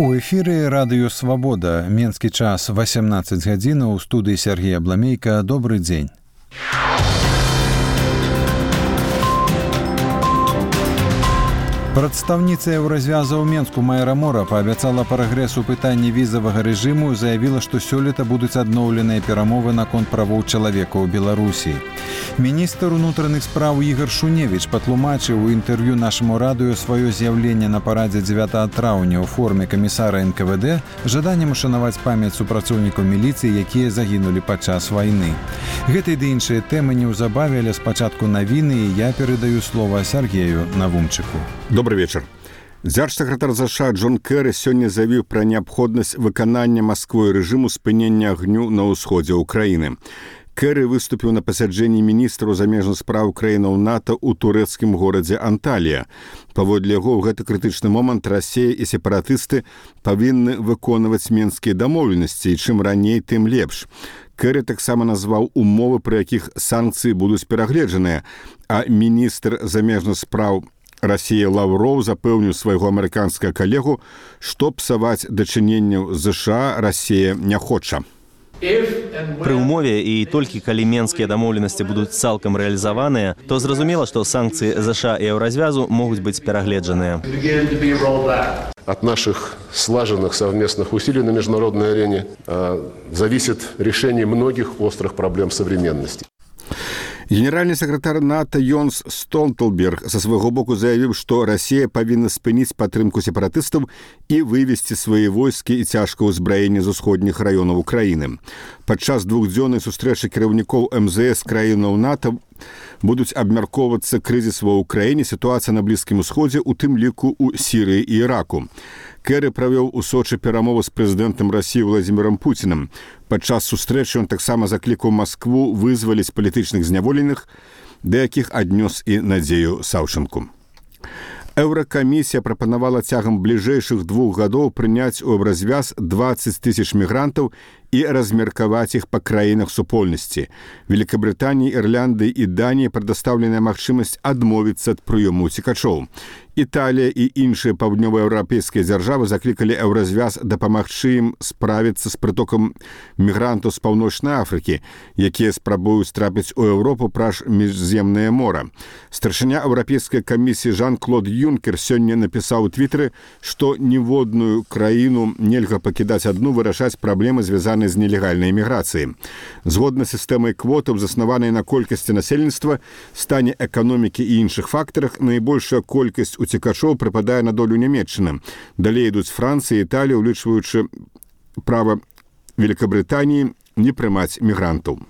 У эфіры радыё «Свабода». Менскі час 18 гадзінаў. У студыі Сергей Абламейка. Добрый дзень. Прадстаўніца Еўразвяза ў Менску Майра Мора паабяцала прагрэс у пытанні візавага рэжыму і заявіла, што сёлета будуць адноўленыя перамовы наконт правоў чалавека ў Беларусі. Міністр унутраных спраў Ігар Шуневіч патлумачыў у інтэрв'ю нашаму радыё сваё з'яўленне на парадзе 9 траўня ў форме камісара НКВД жаданнем ушанаваць памяць супрацоўнікаў міліцыі, якія загінулі падчас вайны. Гэтай ды іншыя тэмы неўзабаве, але спачатку навіны, і я перадаю слова Сергею Навумчыку. Добрый вечер. Дзяржсакратар США Джон Кэры сёння заявіў пра неабходнасць выканання Масквой рэжыму спынення агню на ўсходзе ўкраіны. Кэры выступіў на пасяджэнні міністраў замежных спраў краінаў НАТО ў турэцкім горадзе Анталія. Паводле яго, ў гэты крытычны момант Расія і сепаратысты павінны выконваць менскія дамоўленасці, і чым раней, тым лепш. Кэры таксама назваў умовы, пры якіх санкцыі будуць перагледжаныя, а міністр замежных спраў Расія Лаўроў запэўніў свайго амерыканскага калегу, што псаваць дачыненняў США Расія не хоча. Пры ўмове і толькі калі менскія дамоўленасці будуць цалкам рэалізаваныя, то зразумела, што санкцыі США і Еўразвязу могуць быць перагледжаныя. От наших слаженных совместных усилий на международной арене зависит решение многих острых проблем современности. Генеральны сакратар НАТО Йонс Столтенберг са свайго боку заявіў, што Расія павінна спыніць падтрымку сепаратыстаў і вывесці свае войскі і цяжкае ўзбраенне з усходніх раёнаў Украіны. Падчас двухдзённай сустрэчы кіраўнікоў МЗС краінаў НАТО будуць абмяркоўвацца крызіс ва ўкраіне, сітуацыя на Блізкім усходзе, у тым ліку ў Сірыі і Іраку. Кэры правёў у Сочы перамову з прэзідэнтам Расіі Владзімірам Пуцінам. Падчас сустрэчы ён таксама заклікаў Маскву вызваліць палітычных зняволеных, да якіх аднёс і Надзею Саўчанку. Еўракамісія прапанавала цягам бліжэйшых 2 гадоў прыняць у Еўразвяз 20 тысяч мігрантаў і размеркаваць іх па краінах супольнасці. Великабрытаніі, Ірландыі і Даніі прадастаўленая магчымасць адмовіцца ад прыёму ўцекачоў. Італія і іншыя паўднёваеўрапейскія дзяржавы заклікалі Еўразвяз дапамагчы ім справіцца з прытокам мігрантаў з Паўночнай Афрыкі, якія спрабуюць трапіць у Еўропу праз Міжземнае мора. Старшыня Еўрапейскай камісіі Жан-Клод Юнкер сёння напісаў у твітары, што ніводную краіну нельга пакідаць адну вырашаць праблемы, звязаныя з нелегальнай міграцыяй. Згодна з сістэмай квотаў, заснаванай на колькасці насельніцтва, стане эканомікі і іншых фактарах, найбольшая колькасць уцекачоў прыпадае на долю Нямецчыны. Далей ідуць Францыя і Італія, улічваючы права Великабрытаніі не прымаць мігрантаў.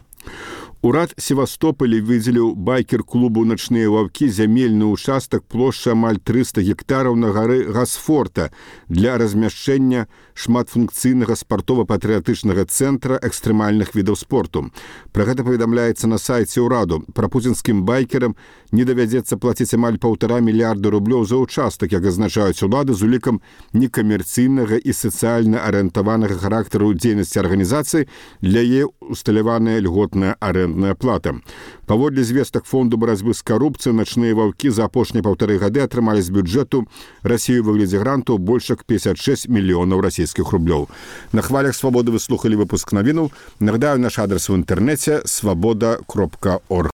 Урад Севастополя выдзеліў байкер-клубу «Начныя ваўкі» зямельны ўчастак плошчай амаль 300 гектараў на гары Гасфорта для размяшчэння шматфункцыйнага спартова-патрыятычнага цэнтра экстрэмальных відаў спорту. Пра гэта паведамляецца на сайце ўраду. Прапуцінскім байкерам не давядзецца плаціць амаль 1,5 мільярда рублёў за ўчастак, як азначаюць улады, з улікам некамерцыйнага і сацыяльна арыентаванага характару дзейнасці арганізацыі, для яе усталяваная льготная арендная плата. Паводле звестак фонду барацьбы з карупцыяй, «Начныя ваўкі» за апошнія 1,5 гады атрымалі з бюджэту Расіі ў выглядзе грантаў больш як 56 мільёнаў расійскіх рублёў. На хвалях «Свабоды» вы слухалі выпуск навінаў. Нагадаю, наш адрес у інтэрнэце свабода.орг.